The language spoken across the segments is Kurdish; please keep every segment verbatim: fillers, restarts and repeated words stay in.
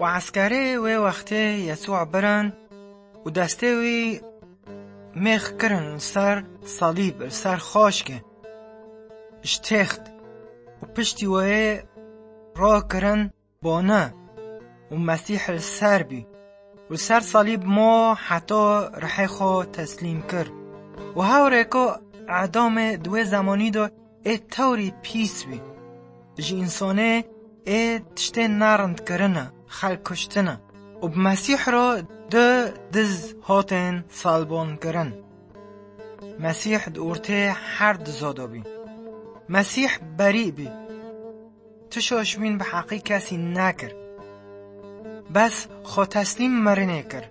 Û eskerê wê wextê Yesû birin û destê wî mêx kirin li ser salîb, li ser xaşkê, ji têxt û piştî wê rakirin bane û Mesîh li ser bî û li ser salîb ma heta rihê xwe teslîm kir. Û hewrêka edamê di wê zemanî de ê tewrî pîs bî. Ji însanê ê tiştên nerind kirine, xelk kuştine û bi Mesîh re du diz hatên salbon kirin. Mesîh di ortê her diza de bî. Mesîh berî bî. Tu şaşbîn bi heqî kesî nekir. Bes xwe teslîm mirinê kir.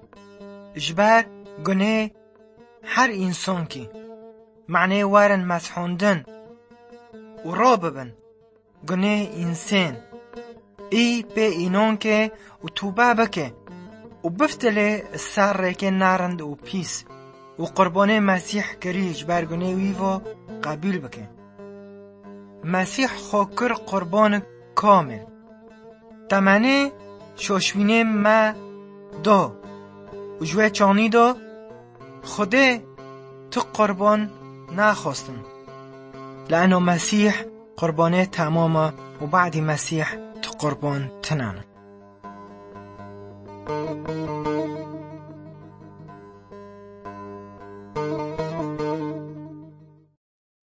Ji ber gunê her însankî. Manê werin mezhondin û rabibin gunê însên. Î pê înonkê û tûbe bike û biftilê ser rêkê nerind û pîs û qurbanê Mesîh kirî ji ber gunê wî ve qebûl bike. Mesîh xwe kir qurbanik kamil. Temenê şoşbînê me do û ji wê çanî do Xwedê tu qurban naxwestin. Lano Mesîh qurbanê temam e û badî Mesîh tu qurban tinane.